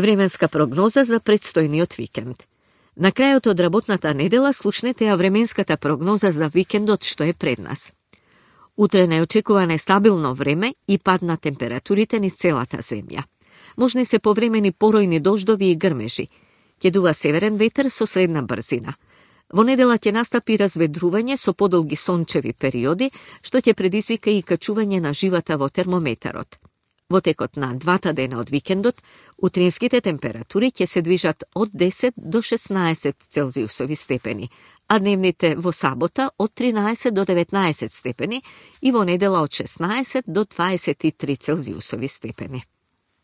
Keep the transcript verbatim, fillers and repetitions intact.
Временска прогноза за предстојниот викенд. На крајот од работната недела слушнете ја временската прогноза за викендот што е пред нас. Утре неочекувано стабилно време и пад на температурите низ целата земја. Можни се повремени поројни дождови и грмежи. Ќе дува северен ветер со средна брзина. Во недела ќе настапи разведрување со подолги сончеви периоди, што ќе предизвика и качување на живата во термометарот. Во текот на двата дена од викендот, утринските температури ќе се движат од десет до шеснаесет целзиусови степени, а дневните во сабота од тринаесет до деветнаесет степени и во недела од шеснаесет до дваесет и три целзиусови степени.